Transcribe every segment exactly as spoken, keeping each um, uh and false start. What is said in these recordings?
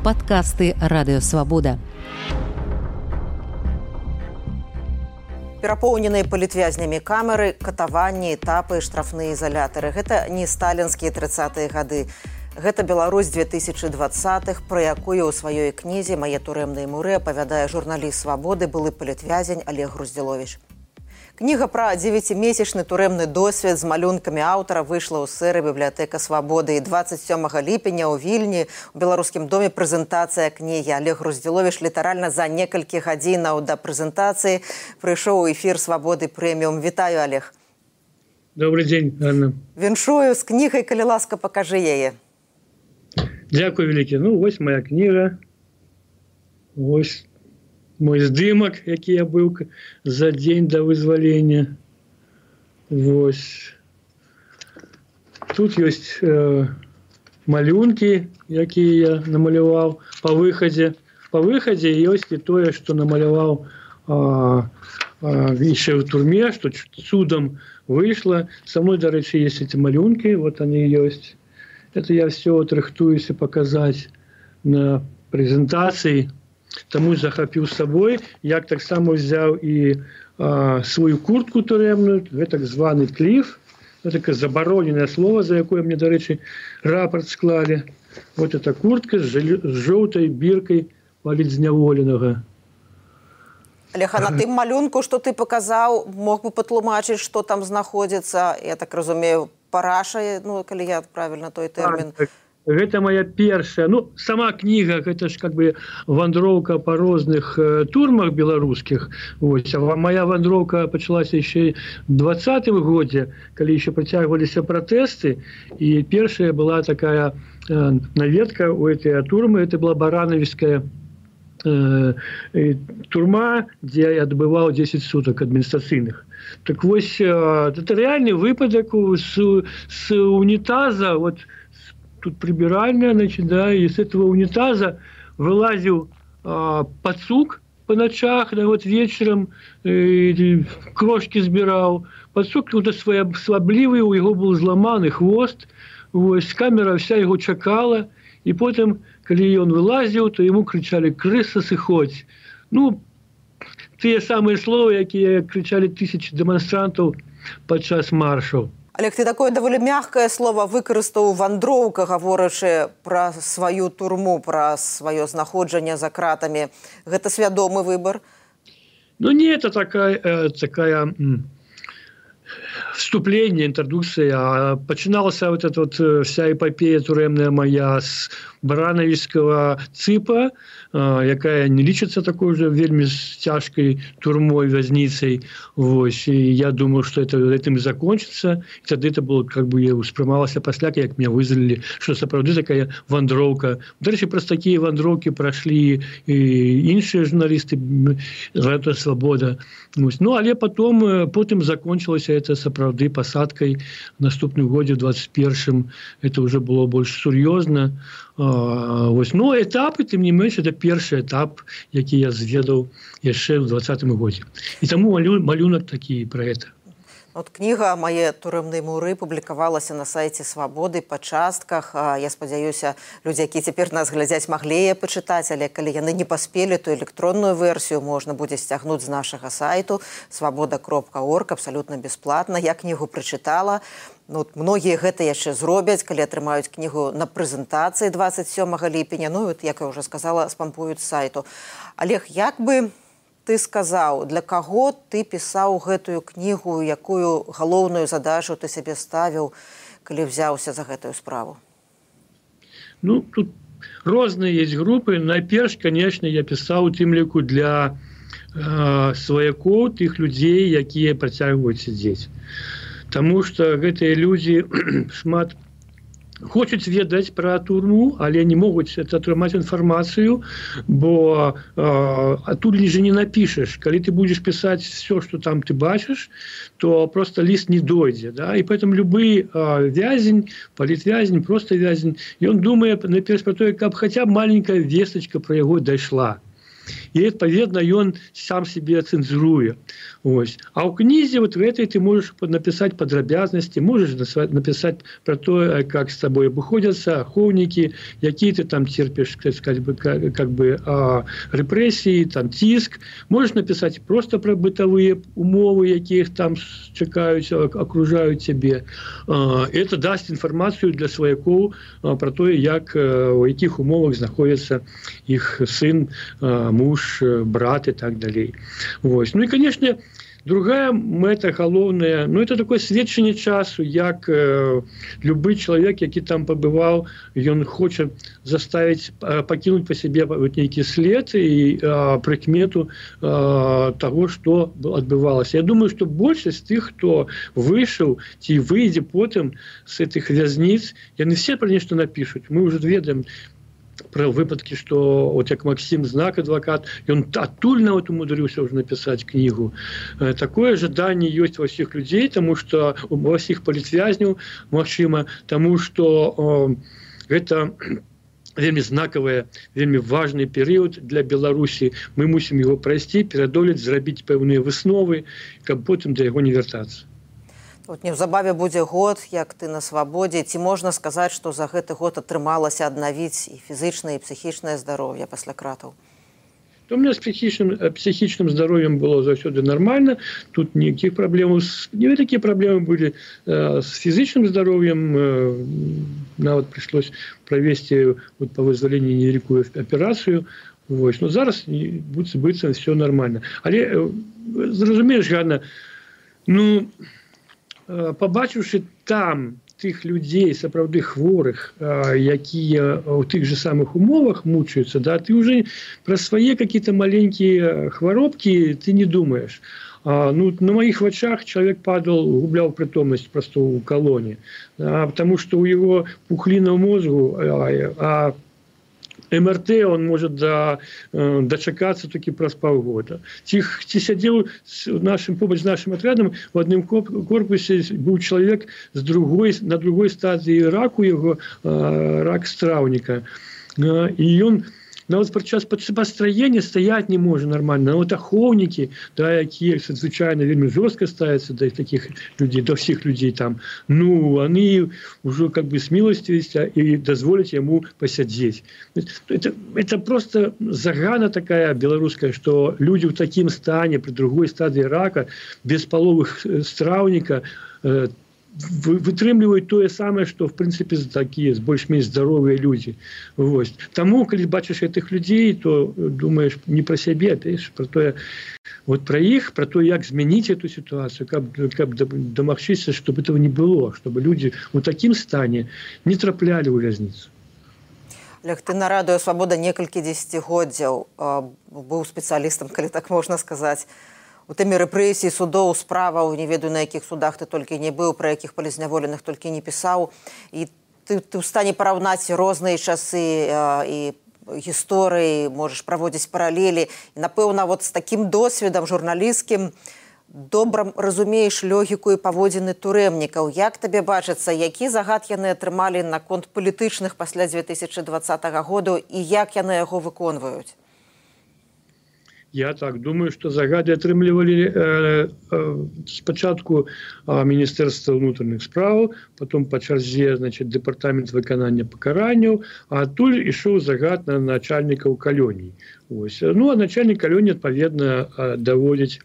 Падкасты Радыёвабода. Перапоўненыя палітвязнямі камеры, катаванні, этапы, штрафныя ізалятары. Гэта не сталінскія трыццатыя гады. Гэта Беларусь две тысячы двадцатых, пра якую ў сваёй кнізе «Мае турэмныя муры» апавядае журналіст «Свабоды», былы палітвязень Олег Груздзіловіч. Кніга пра дзевяцімесячны турэмны досвед з малюнкамі аўтара выйшла ў сэры бібліятэка «Свабоды». І дваццаць сёмага ліпеня ў Вільні у Беларускім доме прэзентацыя кнігі. Олег Груздзіловіч літаральна за некалькі гадзінаў да прэзентацыі прыйшоў у эфір «Свабоды прэміум». Вітаю, Олег. Добрый день, Анна. Віншую з кнігай, калі ласка, пакажы яе. Дякую вялікі. Ну, вось моя кніга. Вось мой здымак, які я быў за дзень да вызвалення. Вось. Тут ёсць э, малюнкі, якія я намаляваў па выхадзе. Па выхадзе ёсць і тое, што намаляваў яшчэ ў турме, што цудам выйшла. Са мной, дарэчы, ёсць эти малюнкі, вот они ёсць. Это я все вот рыхтуюсь показать на презентации. Тому захапіў з сабой. Я таксама взял и а, свою куртку турэмную, это так званы кліф. Это такое забароненное слово, за якое мне, дарэчы, рапорт склали. Вот эта куртка с, жел... с желтой биркой паліцзняволенага. Олег, а на тым малюнку, што ты паказаў, мог бы патлумачыць, што там знаходзіцца, я так разумею, параша, ну, калі я правильно той тэрмін. Так, гэта моя першая, ну, сама кніга, гэта ж как бы вандроўка па розных э, турмах беларускіх. Вось, а моя вандроўка пачалася яшчэ ў двадцатым годзе, калі яшчэ працягваліся пратэсты, і першая была такая э, наведка у этой турмы, это была Барановская э, э, турма, дзе я адбываў дзесяць сутак адміністрацыйных. Так вось, э, это реальный выпадок с, с унитаза, вот тут прибиральная, значит, да, и с этого унитаза вылазил э, пацук по ночах, да, вот вечером э, крошки сбирал. Пацук вот сваблівый, у его был зламаны хвост, вот, камера вся его чакала, и потом, когда он вылазил, то ему кричали: «Крыса, сыходь». Ну, те самые слова, якія кричали тысячи демонстрантов падчас маршаў. Олег, ты такое даволі мягкае слово выкарыстаў вандроўка, гаворачы пра сваю турму, пра сваё знаходжанне за кратамі. Гэта свядомы выбор? Ну, не, это такая, э, такая м, вступление, интродукция. А починалась вот эта вот вся эпопея турэмная моя с барановского цыпа, якая не лічыцца такой же вельмі цяжкай турмой, вязницей. Вось. И я думаю, что это этим и закончится. И тогда это было, как бы, я успрымалася пасля, як меня вызвали, что сапраўды такая вандроўка. Дальше просто такие вандроўки прошли и іншыя журналисты Радыёвабода. Ну, але потом, потом закончилось это сапраўды посадкой в наступным годзе, в двадцать первом. Это уже было больше серьезно. Вось. Ну, этапы, тым не менш, это першы этап, які я зведаў яшчэ ў двадцатым годзе. І таму малю, малюнак такі пра гэта. От кніга «Мае турэмныя муры» публікавалася на сайце «Свабоды» па частках. Я спадзяюся, людзі, якія цяпер нас глядзяць, маглі яе пачытаць, але калі яны не паспелі, то электронную версію можна будзе сцягнуць з нашага сайту свабода кропка орг абсалютна бясплатна. Я кнігу прачытала. Ну, многія гэта яшчэ зробяць, калі атрымаюць кнігу на прэзентацыі двадцать сёмага ліпеня. Ну, от, як я ўжо сказала, спампуюць з сайту. Олег, як бы ты сказаў, для каго ты пісаў гэтую кнігу, якую галоўную задачу ты сябе ставіў, калі взяўся за гэтую справу? Ну, тут розныя есть групы. Найперш, конечно, я пісаў у тым ліку для э, сваякоў, тых людзей, якія працягваюць сядзець. Таму што гэтыя людзі шмат хочуць ведаць пра турму, але не могуць атрымаць інфармацыю, бо э, тут же не напішаш. Калі ты будзеш пісаць все, што там ты бачыш, то просто ліст не дойдзе. Да? І поэтому любы э, вязень, палітвязень, просто вязень, ён думае найперш пра тое, каб хаця б маленькая вестачка пра яго дайшла. і адпаведна ён сам себе цэнзуруе. Ось. А ў кнізе вот в этой ты можешь написать падрабязнасці, можешь написать про то, как с тобой обыходятся ахоўнікі, які ты там терпишь, как бы, как бы а, репрессии, там ціск. Можешь написать просто про бытовые умовы, якіх там чакаюць, окружаюць цябе. А, это даст информацию для сваякоў а, про то, як у якіх умовах знаходится их сын, а, муж, брат и так далее. Вот. Ну и, конечно, другая мэта галоўная, ну это такое сведчанне часу, як э, любы чалавек, які там пабываў, ён хоча заставіць э, пакінуць па сябе вот нейкі след і э, прыкмету э, таго, што адбывалася. Я думаю, што большасць тых, хто выйшаў ці выйдзе потым з гэтых вязніц, яны все пра нешта напішуць. Мы ўжо ведаем про выпадки, что вот як Максим Знак, адвокат, он адтуль нават умудрыўся уже написать книгу. Такое ожидание есть во всех людей, тому что во всех палітвязняў, магчыма, тому что э, это вельмі знакавая, вельмі важный период для Беларусі. Мы мусім его пройсці, перадолець, зрабіць пэўныя высновы, каб потым да яго не вяртацца. Вот неўзабаве будзе год, як ты на свабодзе. Ці можна сказаць, што за гэты год атрымалася аднавіць і фізычнае, і псіхічнае здароўе пасля кратаў? У меня с психичным, психичным здоровьем было заўсёды нормально. Тут никаких проблем. Не такие проблемы были э, с физическим здоровьем. Э, нам вот пришлось провести вот, по вызволению невеликую операцию. Вот. Но зараз будет быть все нормально. Але, э, зразумееш, Ганна, ну, э, побачивши там тых людзей, сапраўды хворых, якія ў тых же самых умовах мучаются, да, ты уже про свои какие-то маленькие хваробки ты не думаешь. А, ну, на моих вачах человек падал, гублял притомность просто у колонии, а, потому что у его пухлина в мозгу, а, а эм эр тэ он может до, дочакаться только праз паўгода. Ці, ці сядзеў нашим, побач з нашим отрядом в одном корпусе был человек с другой, на другой стадии раку его, рак страўніка. И он нават падчас пастраення стаять не может нормально. Нават ахоўнікі, да, якія звычайна вельмі жорстка ставятся до таких людей, до всех людей там, ну, они уже как бы смилостивились и дозволить ему посидеть. Это, это просто загана такая белорусская, что люди в таким стане, при другой стадии рака, без половых страўніка, э, вытрымліваюць тое самае, што в прынцыпе такія больш-менш здаровыя людзі. Вось. Таму калі бачыш гэтых людзей, то думаеш не пра сябе, а пра тое, вот пра іх, пра то, як змяніць эту сітуацыю, каб, каб дамагчыся, щоб этого не было, чтобы люди у такім стане не траплялі ў вязніцу. Олег, ты на радыё «Свабода» некалькі дзесяцігоддзяў быў спецыялістам, калі так можна сказаць. У тэме рэпрэсій, судоў, справаў, не ведаю, на якіх судах ты толькі не быў, пра якіх палізняволеных толькі не пісаў. І ты, ты ў стане параўнаць розныя часы а, і гісторыі, можаш праводзіць паралелі. І, напэўна, вот з такім досведам журналісцкім добра разумееш логіку і паводзіны турэмнікаў. Як табе бачыцца, які загад яны атрымалі наконт палітычных пасля дзве тысячы дваццатага году і як яны яго выконваюць? Я так думаю, что загады атрымлівалі э, э, спачатку э, Міністэрства ўнутраных спраў, потом по чарзе, значит, дэпартамент выканання пакаранняў, а адтуль ішоў загад на начальнікаў калоній. Ось. Ну, а начальник калоні, адпаведна, э, даводзіць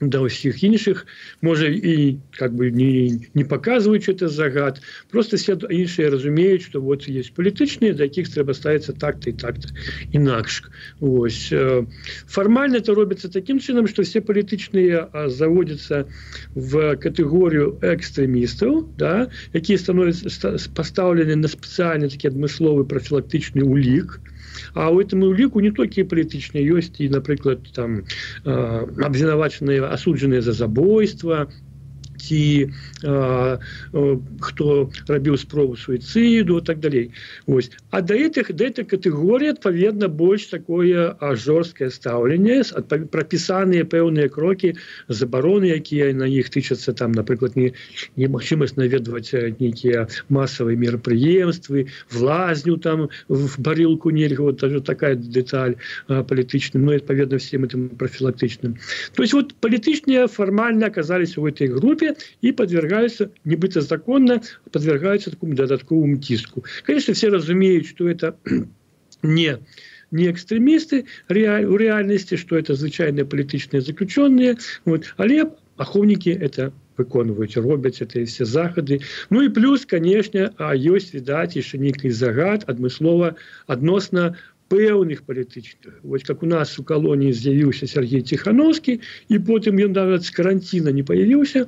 до всех іншых, может и как бы не, не показывают, что это загад, просто все іншие разумеют, что вот есть политичные, до яких треба ставиться так-то и так-то инакш. Ось. Формально это робится таким чином, что все политичные заводятся в категорию экстремистов, да, якія становятся поставлены на специальный такой адмысловый профилактичный улик. А у этому улику не только політичные есть, и, например, там, э, обвинуваченные, осудженные за забойство, ці а, а, хто рабіў спробу суіцыду і так далей. Вось. А да гэтых да этой катэгорыі адпаведна больш такое жорсткае стаўленне, прапісаныя пэўныя крокі, забароны, якія на іх тычацца, там, напрыклад, не, немагчымасць наведваць нейкія масавыя мерапрыемствы, в лазню там в барылку нельга, вот даже такая деталь а, палітычная, ну, адпаведна всем этим профилактичным. То есть вот политичные формально оказались в этой группе и подвергаются, небыто законно, подвергаются такому додатковому тиску. Конечно, все разумеют, что это не, не экстремисты реаль, в реальности, что это звычайные политичные заключенные, вот, але ахоўнікі это выконваюць, робяць это все захады. Ну и плюс, конечно, ёсць, відаць, яшчэ нейкі загад адмыслова адносна пэўных палітычных. Вось как у нас у калоніі з'явіўся Сергей Тихановский, і потым ён нават з каранціна не появіўся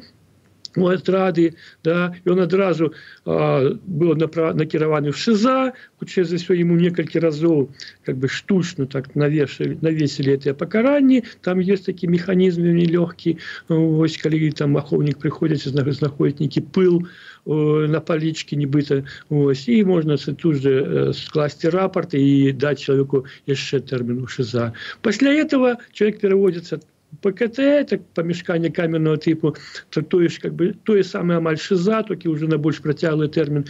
у атрады, да, ён адразу а, быў накіраваны в ШИЗА, хутчэй за ўсё ему некалькі разоў как бы штучно так навешали, навесили это пакаранні. Там есть такі механізм нелёгкі, вось калі там ахоўнік прыходзіць, знаходзіць нейкі пыл на палічке, нібыта, ось, і можна тут же скласти рапорт и дать человеку яшчэ тэрмін у ШИЗА. Пасля этого человек переводится ПКТ, это помешкание камерного типу, то, то, есть, как бы, то же самое амаль ШИЗА, только уже на больше протяглый термин.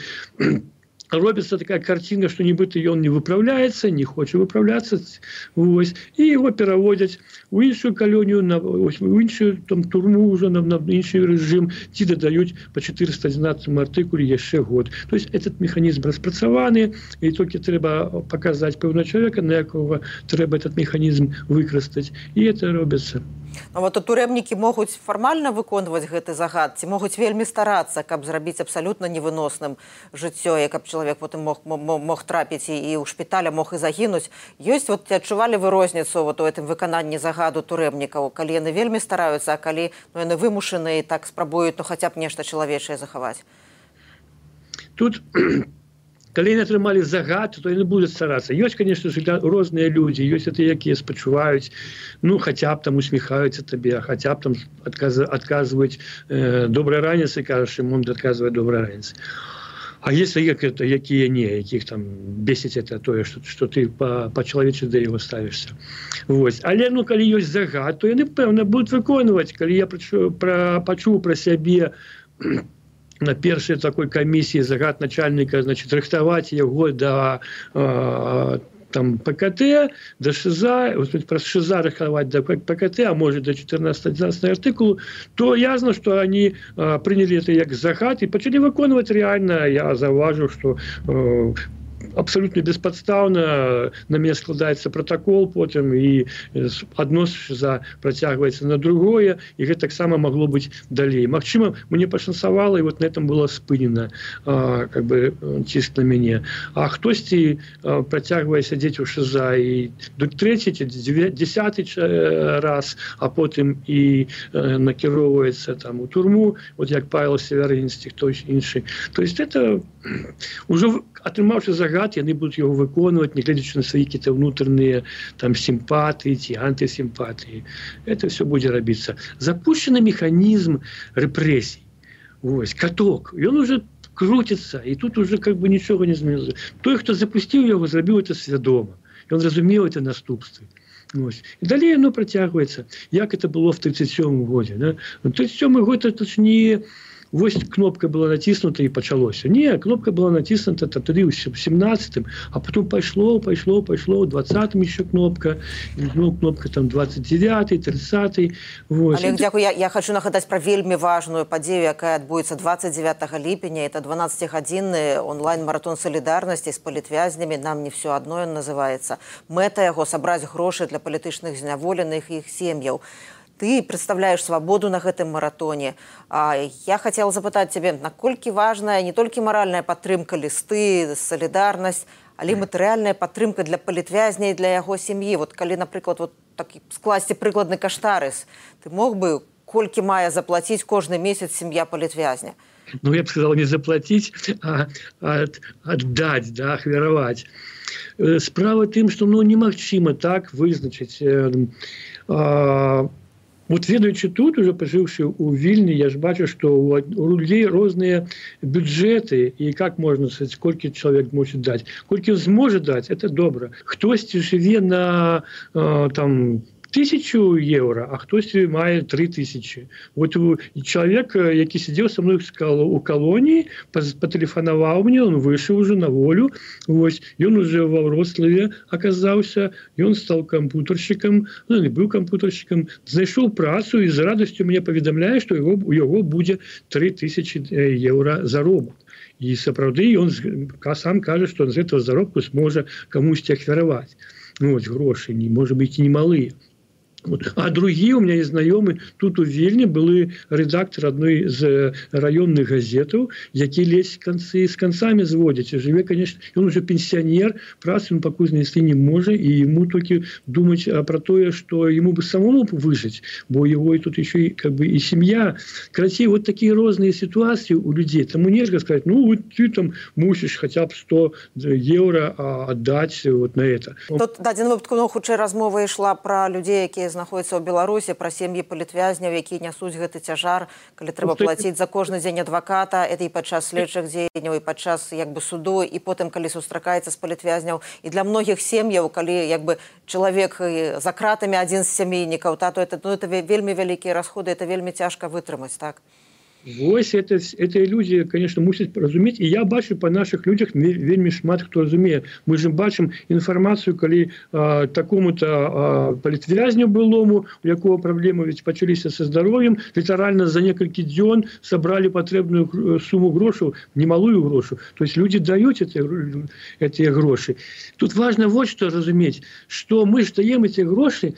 Робится такая картина, что нібыта ён не выправляется, не хочет выправляться, ось, и его переводят в іншую колонию, на, ось, в іншую там, турму уже, на, на інший режим, ті додают по четыреста одиннадцатому артикуле еще год. То есть этот механизм распрацаваны, и только треба показать певного человека, на якого треба этот механизм выкрыстать, и это робится. Ну, вот турэмнікі могуць фармальна выконваць гэты загад, ці могуць вельмі старацца, каб зрабіць абсалютна невыносным жыццё, і каб чалавек потым мог, мог, мог трапіць і, і ў шпіталя мог і загінуць. Ёсць, вот, адчувалі вы розніцу вот, у гэтым выкананні загаду турэмнікаў, калі яны вельмі стараюцца, а калі ну, яны вымушаны і так спрабуюць ну, хаця б нешта чалавечае захаваць? Тут... Калі яны атрымалі загад, то яны будуць старацца. Ёсць, конечно же, розныя людзі, ёсць это, якія спачуваюць, ну, хаця б там усміхаюцца табе, хаця б там адказ, адказваюць э, добрай раніцы, кажаш, ім адказвае добрай раніцы. А есть як это, якія не, якіх там бесіць это тое, што, што ты па-чалавечы да яго ставішся. Вось. Але, ну, калі ёсць загад, то яны, пэўна, будуць выконваць. Калі я пачуў пра, пачуў пра сябе на першай такой камісіі загад начальника, значит, рыхтаваць яго да э, там ПКТ, до ШИЗА, про ШИЗА рыхтаваць до ПКТ, а может до четырнадцатого артикулу, то ясно, что они э, приняли это як загад и почали выконваць реально. Я заўважыў, что э, абсолютно бесподставно на меня складаецца протокол потым и адно ШИЗА працягваецца на другое, и гэта таксама могло быть далей. Магчыма, мне пашанцавала, и вот на этом было спынена а, как бы ціск на мяне. А хтосьці а, працягвае сядзець у ШИЗА і трэці, дзесяты раз, а потым і а, накіроўваецца там у турму, вот як Павел Северинский, хто іншы. То есть это уже атрымаўшы загад, яны будуць яго выконваць, не гледзячы на свае какие-то внутренние там симпатии, ці антисимпатии. Это все будет рабіцца. Запущен механизм репрессий. Ось, каток. И он уже крутится, и тут уже как бы ничего не змянилось. Той, кто запустил его, зрабіў это свядома. И он разумел это наступствы. Ось. И далее оно протягивается. Як это было в тридцать седьмом году. Да? В тридцать седьмой год это ж не... Вось кнопка была натиснута и пачалося. Не, кнопка была натиснута тады ў семнадцатым, а потом пошло, пошло, пошло, в двадцатым еще кнопка, ну, кнопка там двадцать девятый, тридцатый. Вот. Олег, дякую. Я, я хочу нагадаць про вельмі важную падзею, якая адбудзецца двадцать девятого ліпеня. Это дванаццацігадзінны онлайн-маратон солідарнасці з палітвязнямі. Нам не все одно ён называется. Мэта яго сабраць грошы для палітычных зняволеных і іх сем'яў. Ты представляешь свободу на гэтым маратоне. А я хотела запытаць тебе, наколькі важная не толькі маральная падтрымка, лісты, солідарнасць, але матэрыяльная падтрымка для палітвязня і для яго сям'і. Вот калі, напрыклад, вот так скласці прыкладны каштарыс, ты мог бы колькі мае заплаціць кожны месяц сям'я палітвязня? Ну, я бы сказал, не заплатить, а, а отдать, да, ахвяраваць. Справа тым, што ну, немагчыма так вызначыць э, э, Вот ведаючы тут, уже пожыўшы у Вільні, я ж бачу, што у людзей розныя бюджэты, і как можна сказаць, колькі чалавек можа даць. Колькі ён зможа даць, это добра. Хтосьці жыве на э, там тысячу евро, а хтосьці мае три тысячи. Вот чалавек, які сидзеў со мной у калоніі, патэлефанаваў мне, он выйшаў уже на волю, вось, ён уже ва Вроцлаве аказаўся, ён стал кампутаршчыкам, ну, не быў кампутаршчыкам, знайшоў працу і з радасцю мне паведамляе, што яго, у яго будзе три тысячи евро заробак. І сапраўды ён сам кажа, што з гэтага заробку зможа камусьці ахвяраваць. Ну, вось, грошы, не, можа быць, і немалыя. А другие у меня есть знакомые тут у Вильне были редактор одной из районных газетов, які лезь концы с концами сводят. Живе, конечно, он уже пенсионер, працы он пока знайсці не может, и ему только думать про то, что ему бы самому выжить, бо его и тут еще и, как бы, и семья. Короче, вот такие разные ситуации у людей. Тому нельзя сказать, ну, вот ты там мусишь хотя бы сто евро отдать вот на это. Тут дадзеным выпадку, ну, хутчэй размова ішла про людей, якія знаходзяцца ў Беларусі, пра сем'і палітвязняў, якія нясуць гэты цяжар, калі трэба плаціць за кожны дзень адваката, это і падчас следчых дзеянняў, і падчас як бы суду, і потым калі сустракаецца з палітвязняў. І для многіх сем'яў, калі як бы чалавек за кратамі адзін з сямейнікаў, то это, ну, это вельмі вялікія расходы, это вельмі цяжка вытрымаць, так? Вось это, это люди, конечно, мусят разуметь. И я бачу по наших людях вельми шмат кто разумеет. Мы же бачим информацию, коли а, такому-то а, палітвязню былому, у якого проблемы ведь почалися со здоровьем, литерально за несколько дён собрали потребную сумму грошей, немалую грошу. То есть люди дают эти, эти гроши. Тут важно вот что разуметь, что мы же даем эти гроши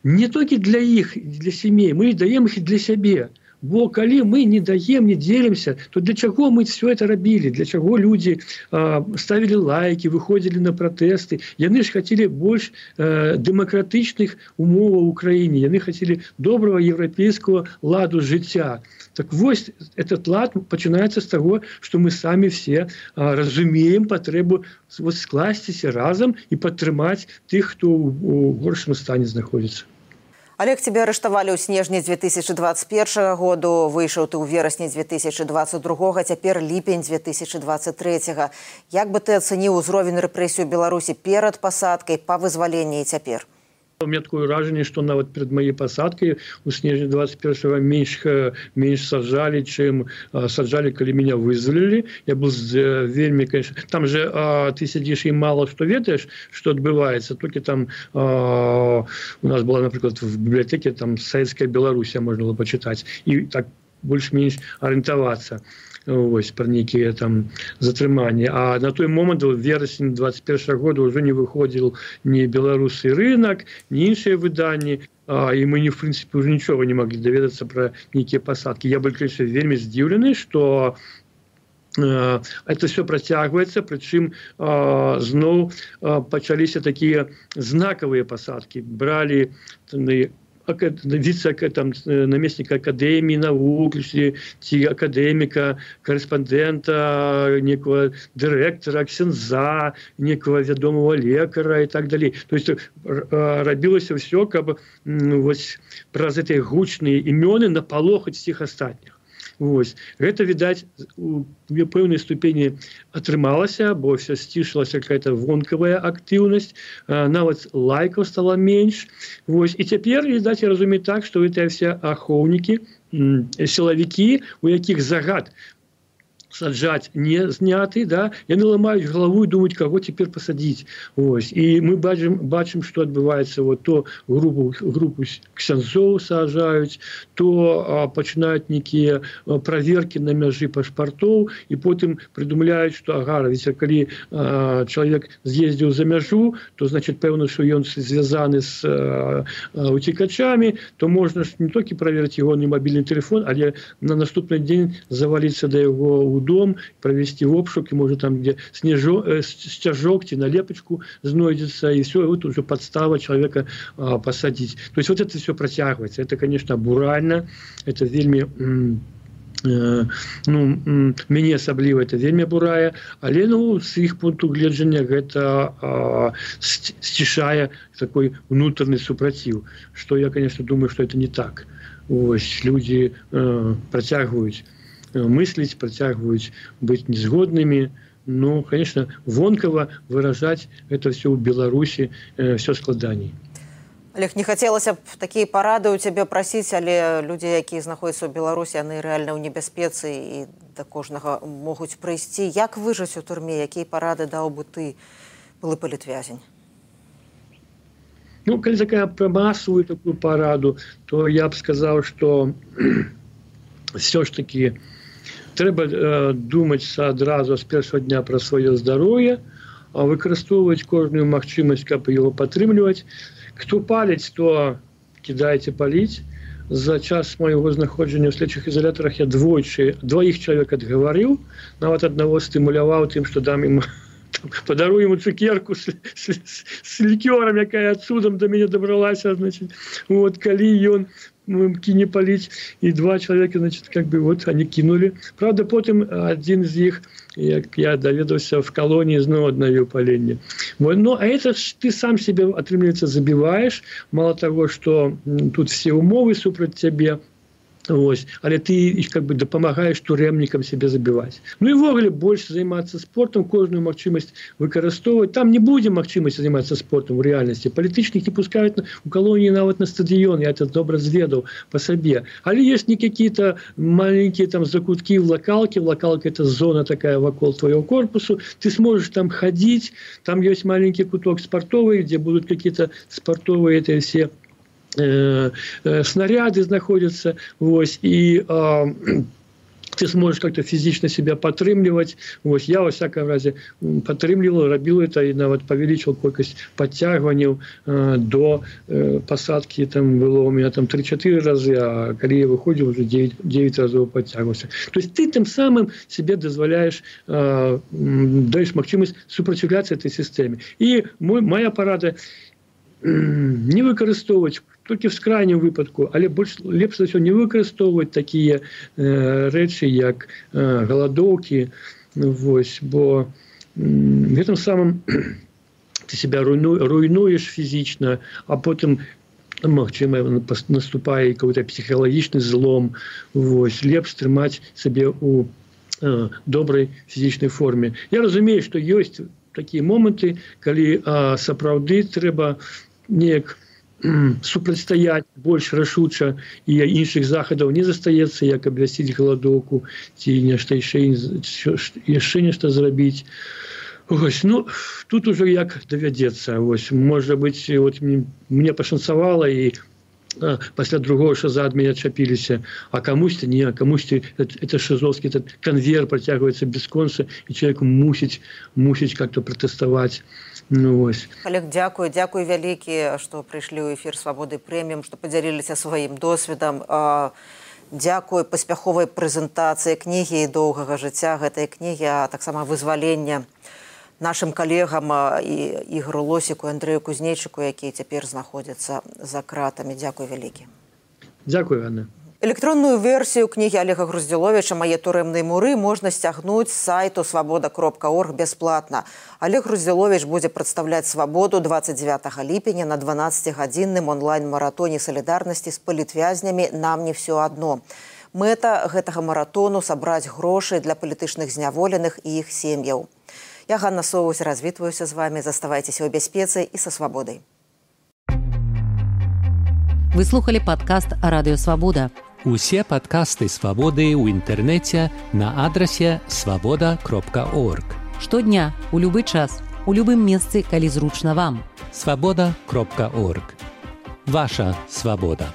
не только для их, для семей, мы даем их и для себя. Бо калі мы не даем, не делимся, то для чего мы все это робили? Для чего люди э, ставили лайки, выходили на протесты? Яны ж хотели больше э, демократичных умов в Украине. Яны хотели доброго европейского ладу життя. Так вот, этот лад начинается с того, что мы сами все э, разумеем потребу вот, скласціся разом и подтримать тех, кто в горшем стане находится. Олег, тебя арыштавалі ў снежні две тысячи двадцать первого году, выйшаў ты ў верасні две тысячи двадцать другого, цяпер ліпень две тысячи двадцать третьего. Як бы ты ацаніў узровень рэпрэсій у Беларусі перад пасадкай, па вызваленні і цяпер? У меня такое вражение, что нават перед моей посадкой у снежня двадцать первого меньше, меньше сажали, чем а, сажали, когда меня вызволили. Я был а, вельми, конечно... Там же а, ты сидишь и мало что ведаешь, что отбывается. Только там а, у нас была, например, в библиотеке там Советская Беларусь, можно было почитать. И так больше-меньше ориентоваться. Ось, про некие там затрымания. А на той момент, в вересні двадцать первого года, уже не выходил ни «Белорусский рынок», ни іншие выдания. А, и мы, не, в принципе, уже ничего не могли доведаться про некие посадки. Я был, конечно, вельми здивленный, что э, это все протягивается, причем э, знову э, начались такие знаковые посадки. Брали вице-наместника Академии наук, академика, корреспондента, некого директора, ксенза, некого ведомого лекара и так далее. То есть робилось все, как вот про эти гучные имена наполохать всех остальных. Вось. Гэта, відаць, у пэўнай ступені атрымалася, бо все сцішылася какая-то вонкавая актыўнасць, нават лайкаў стала менш. Вось. І цяпер, відаць, я разумею так, што гэтыя все ахоўнікі, сілавікі, у якіх загад саджаць не зняты, да, яны ламаюць галаву і думаюць, каго цяпер пасадзіць. Ось. І мы бачым, бачым, што адбываецца, вот, то групу, групу ксяндзоў саджаюць, то а, пачынаюць нейкія праверкі на мяжы пашпартоў, і потым прыдумляюць, што ага, ведь, калі а, чалавек з'ездзіў за мяжу, то, значит, пэўна, што ён звязаны з а, а, уцекачамі, то можна ж не толькі праверыць яго мабільны телефон, але на наступны дзень заваліцца да яго ў дом, провести обшук, и может там, где снежок, э, стяжок, налепочку знойдется, и все, и вот уже подстава человека э, посадить. То есть вот это все протягивается. Это, конечно, бурально, это вельми м, ну мяне асабліва это вельмі бурае, але ну з іх пункту гледжання гэта сцішае такой унутраны супраціў, што я конечно думаю, что это не так. Ось людзі працягваюць мысліць, працягваюць быць незгоднымі. Ну конечно вонкава выражаць это все ў Беларусі все складаней. Олег, не хацелася б такія парады ў цябе прасіць, але людзі, якія знаходзяцца ў Беларусі, яны рэальна ў небяспецы і да кожнага могуць прыйсці. Як выжыць у турме? Якія парады даў бы ты, былы палітвязень? Ну, калі такая пра масавую такую параду, то я б сказаў, што все ж таки трэба э, думаць адразу з першага дня пра сваё здароўе, а выкарыстоўваць кожную магчымасць, каб яго падтрымліваць. Кто паліць, то кидайте паліць. За час майго знаходжання ў следчых ізалятарах я двойчы, двоих чалавек адгаварыў, нават аднаго стымуляваў тым, што дам ім, падарую ему цукерку с, с, с лікёрам, якая цудам до мяне дабралася, значит, вот, калі ён кине паліць, і два чалавека, значит, как бы вот они кинули. Правда, потым один из них, як я даведаўся, в колонии зноў аднавіў паленне. Вот, ну, а это ж ты сам себе, атрымліваецца, забіваеш. Мало того, что тут все умовы супраць цябе, ось, але ты как бы дапамагаеш турэмнікам себе забіваць. Ну і ввогуле больш займацца спортом, кожную магчымасць выкарыстоўваць. Там не будзе магчымасці займацца спортом у рэальнасці. Палітычнікі пускаюць у калоніі нават на стадыён, я это добра зведаў па сабе. Але ёсць не какие-то маленькие там закуткі в лакалке. Лакалка это зона такая вакол твоего корпусу. Ты сможешь там ходить. Там есть маленький куток спортовый, где будут какие-то спортовые это все Э, э, снаряды знаходятся, вось, и э, ты сможешь как-то физично себя падтрымліваць. Вось, я во всяком разе падтрымліваў, рабіў это и нават павялічыў колькасць подтягиваний э, до э, посадки. Там было у меня там три-четыре разы, а калі я выходил, уже девять разов подтягивался. То есть ты тем самым себе дозволяешь, э, даешь магчымасць супраціўляцца этой системе. И мой, моя парада не выкарыстоўваць толькі в крайнім выпадку, але больш лепш за ўсё не выкарыстоўваць такія э, рэчы, як э, галадоўкі, вось, бо э, гэтым самым ты себя руйну, руйнуеш фізічна, а потым магчыма наступае какой-то псіхалагічны злом. Вось, лепш трымаць сабе у э, добрай фізічнай форме. Я разумею, што ёсць такія моманты, калі э, сапраўды трэба неяк супрацьстаяць больш рашуча, і іншых захадаў не застаецца, як абвясціць галадоўку ці нешта яшчэ нешта зрабіць. Ось, ну, тут уже як давядзецца. Ось, можа быць, вот, мне пашанцавала, і а, пасля другого шаза ад мяне адчапіліся, а камусьці не, а камусьці это шазовскі этот конвейер працягваецца бясконца, і чалавек мусіць мусіць как-то пратэставаць. Ну, ось. Олег, дзякую, дзякую вялікі, што прыйшлі ў эфір Свабоды Прэміум, што падзяліліся сваім досведам. Дзякую паспяховай прэзентацыі кнігі і доўгага жыцця гэтай кнігі, а таксама вызвалення нашым калегам і Ігору Лосіку, Андрэю Кузнейчыку, якія цяпер знаходзяцца за кратамі. Дзякуй вялікі. Дзякуй, Анна. Электронную версію кнігі Олега Груздзіловіча «Мае турэмныя муры» можна сцягнуць з сайту свабода кропка орг бясплатна. Олег Груздзіловіч будзе прадстаўляць свабоду дваццаць дзевятага ліпеня на дванаццацігадзінным онлайн-маратоне салідарнасці з палітвязнямі «Нам не все адно». Мэта гэтага маратону – сабраць грошы для палітычных зняволеных і іх сем'яў. Я, Ганна Соўвусь, развітваюся з вамі. Заставайцеся ў бяспецы і са свабодай. Вы слухали падкаст «Радыё Свабода». Усе падкасты «Свабоды» ў інтэрнэце на адрасе свабода кропка орг. Штодня, у любы час, у любым месцы, калі зручна вам. свабода кропка орг. Ваша свабода.